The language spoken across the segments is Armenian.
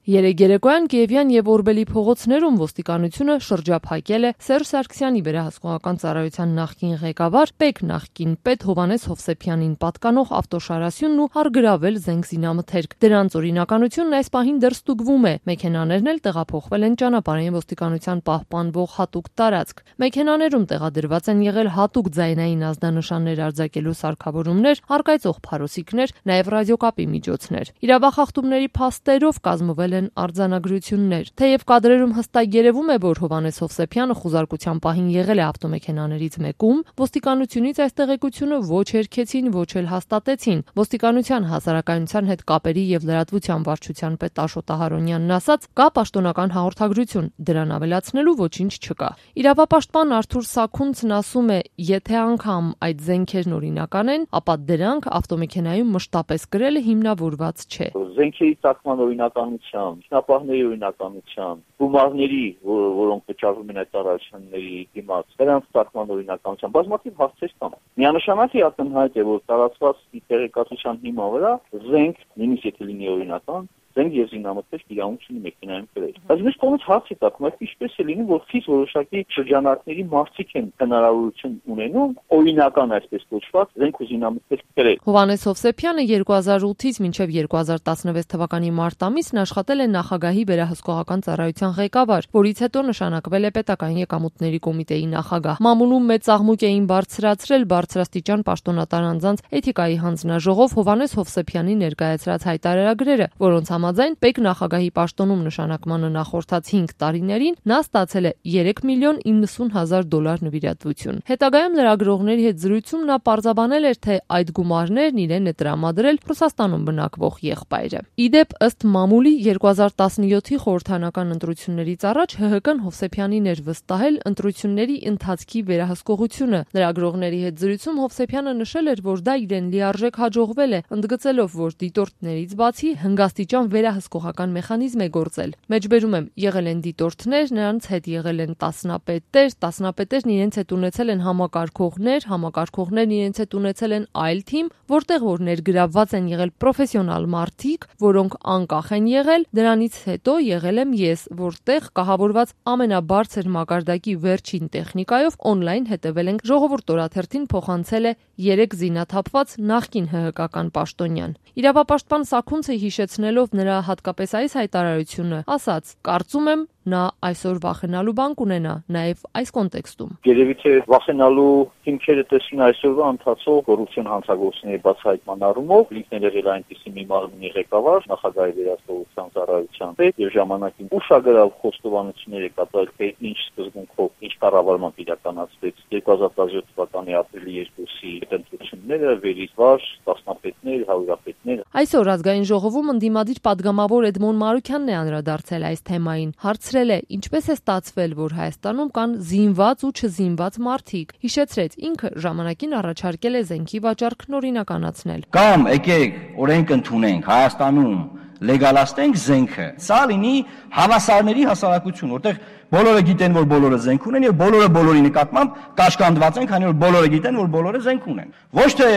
Երեկ երեկոյան Կիևյան եւ Օրբելի փողոցներում ոստիկանությունը շրջափակել է Սերժ Սարգսյանի վերահսկողական ծառայության նախկին ղեկավար Պեկ նախկին պետ Հովհաննես Հովսեփյանին պատկանող ավտոշարասյունն ու առգրավել զենք զինամթերք։ Դրանց օրինականությունն այս պահին դեռ ստուգվում է։ Մեքենաներն էլ տեղափոխվել են ճանապարհային ոստիկանության պահպանվող հատուկ տարածք։ Մեքենաներում տեղադրված են եղել հատուկ ձայնային ազդանշաններ արձակելու սարքավորումներ, առկայծող փարոսիկներ, նաեւ ռադիոկապի միջոցներ։ Իրավախախտումների փաստերով կազմվել են արձանագրություններ։ Թեև կադրերում հստակ երևում է, որ Հովհաննես Հովսեփյանը խուզարկության պահին եղել է ավտոմեքենաներից մեկում, ոստիկանությունից այս տեղեկությունը ոչ հերքեցին, ոչ էլ հաստատեցին։ Ոստիկանության հասարակայնության հետ կապերի եւ լրատվության վարչության պետ Աշոտ Ահարոնյանն ասաց, կա պաշտոնական հաղորդագրություն, դրան ավելացնելու ոչինչ չկա։ Իրավապաշտպան Արթուր Սաքունցն ասում է, եթե անգամ այդ զենքերն օրինական են, ապա դրանք ավտոմեքենայում մշտապես կրելը հիմնավորված չէ։ Զենքերի ծագման օրինականության, ինքնապահների օրինականության, գումարների, որոնք վճարվում են այդ ծառայությունների դիմաց, դրանց ծագման օրինականության բազմաթիվ հարցեր կան։ Միանշանակ ակնհայտ է, որ տարածված տեղեկատվության հիման վրա զենք, նույնիսկ եթե լինի օրինական, զենք եւ զինամթերք իրավունք ունի մեքենայում կրել։ Բայց միշտ կողմից հարց է տալիս, այդ ինչպես է լինում, որ խիստ որոշակի շրջանակների մարդիկ են հնարավորություն ունենում օրինական այսպես կոչված զենք ու զինամթերք կրել։ Հովհաննես Հովսեփյանը 2008-ից մինչև 2016 թվականի մարտ ամիսն աշխատել է նախագահի վերահսկողական ծառայության ղեկավար, որից հետո նշանակվել է պետական եկամուտների կոմիտեի նախագահ։ Մամուլում մեծ աղմուկ էին բարձրացրել բարձրաստիճան պաշտոնատար անձանց էթիկայի հանձնաժողով Հովհաննես Հովսեփյանի ներկայացրած հայտարարագրերը, որոնց համաձայն Պեկ նախագահի պաշտոնում նշանակմանը նախորդած 5 տարիներին նա ստացել է $3,90,000 նվիրատվություն։ Հետագայում լրագրողների հետ զրույցում նա պարզաբանել էր, թե այդ գումարներն իրեն է տրամադրել Ռուսաստանում բնակվող եղբայրը։ Իդեպ, ըստ մամուլի 2017-ի խորհրդանական ընտրություններից առաջ ՀՀԿ-ն Հովսեփյանին էր վստահել ընտրությունների ընթացքի վերահսկողությունը։ Լրագրողների հետ զրույցում Հովսեփյանը նշել էր, որ դա իրեն լիարժեք հաջողվել է, ընդգծելով, որ դիտորդներից բացի հնգաստիճան վերահսկողական մեխանիզմ է գործել։ Մեջբերում եմ, եղել են դիտորդներ, նրանց հետ եղել են տասնապետերն իրենց հետ ունեցել են համակարգողներն իրենց հետ ունեցել են այլ թիմ, որտեղ որ ներգրավված են եղել պրոֆեսիոնալ մարդիկ, որոնք անկախ են եղել, դրանից հետո եղել եմ ես, որտեղ կահավորված ամենաբարձր մակարդակի վերջին տեխնիկայով օնլայն հետևել ենք Ժողովուրդ օրաթերթին փոխանցել է 3 զինաթափված նախկին ՀՀԿ-ական պաշտոնյան։ Իրավապաշտպան Սաքունցը հիշեցնելով նրա հատկապես այս հայտարարությունը, ասաց. կարծում եմ նա այսօր վախենալու բան կունենա նաև այս կոնտեքստում։ Երևի թե վախենալու հիմքերը տեսնի այսօրվա ընթացող կոռուպցիոն հանցագործությունների բացահայտման առումով, ինքն եղել այնպիսի մի մարմնի ղեկավար, նախագահի վերահսկողության ծառայության պետ եւ ժամանակին ուշագրավ խոստովանություններ է կատարել, թե ինչ սկզբունքով, ինչ կառավարմամբ իրականացվեց 2017 թվականի ապրիլի 2-ի ընտրությունները, վերից վար, տասնապետներ, հարյուրապետներ։ Այսօր ազգային ժողովում ընդդիմադիր падգամավոր Էդմոն Մարուքյանն է անդրադարձել այս թեմային։ Հարցրել է, ինչպես է ստացվել, որ Հայաստանում կան զինված ու չզինված մարդիկ։ Հիշեցրեց, ինքը ժամանակին առաջարկել է զենքի վաճառքն օրինականացնել։ Կամ եկեք օրենք ընդունենք Հայաստանում լեգալացնենք զենքը։ Սա լինի հավասարների հասարակություն, որտեղ բոլորը գիտեն, որ բոլորը զենք ունեն եւ բոլորը բոլորի նկատմամբ կաշկանդված են, քանի որ բոլորը գիտեն, որ բոլորը զենք ունեն։ Ոչ թե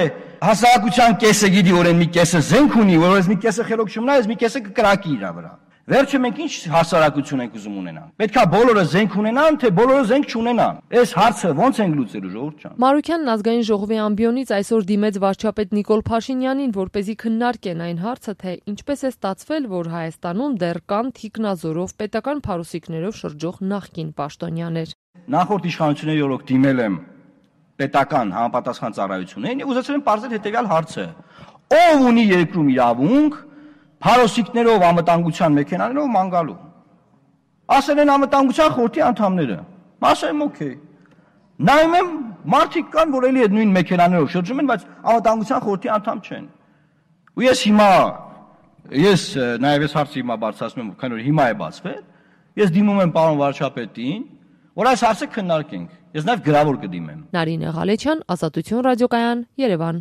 հասարակության կեսը գիտի, որ այն մի կեսը զենք ունի, որ այս մի կեսը խելոք չմնա, այս մի կեսը կկրակի իր վրա։ Վերջը մենք ինչ հասարակություն ենք ուզում ունենալ։ Պետքա բոլորը զենք ունենան, թե բոլորը զենք չունենան։ Այս հարցը ո՞նց ենք լուծելու, ժողովուրդ ջան։ Մարուքյանն ազգային ժողովի ամբիոնից այսօր դիմեց վարչապետ Նիկոլ Փաշինյանին, որպեսզի քննարկեն այն հարցը, թե ինչպես է ստացվել, որ Հայաստանում դեռ կան թիկնազորով պետական փարուսիկներով շրջող նախկին պաշտոնյաներ։ Նախորդ իշխանությունների օրոք դիմել եմ պետական համապատասխան ծառայություններին եւ ուզեցել եմ բարձր հետեւյալ հարցը. ով ունի երկրում իրավունք փարոսիկներով անվտանգության մեքենաներով ման գալու։ Ասել են անվտանգության խորհրդի անդամները։ Ասել եմ օքեյ։ Նայում եմ մարդիկ կան, որ էլի այդ նույն մեքենաներով շրջում են, բայց անվտանգության խորհրդի անդամ չեն։ Ու ես նաև այս հարցը հիմա բարձրացնում եմ, քանի որ հիմա է բացվել, ես դիմում եմ պարոն վարչապետին, որ այս հարցը քննարկենք։ Ես նաև գրավոր կդիմեմ։ Նարինե Ղալեչյան, Ազատություն ռադիոկայան, Երևան։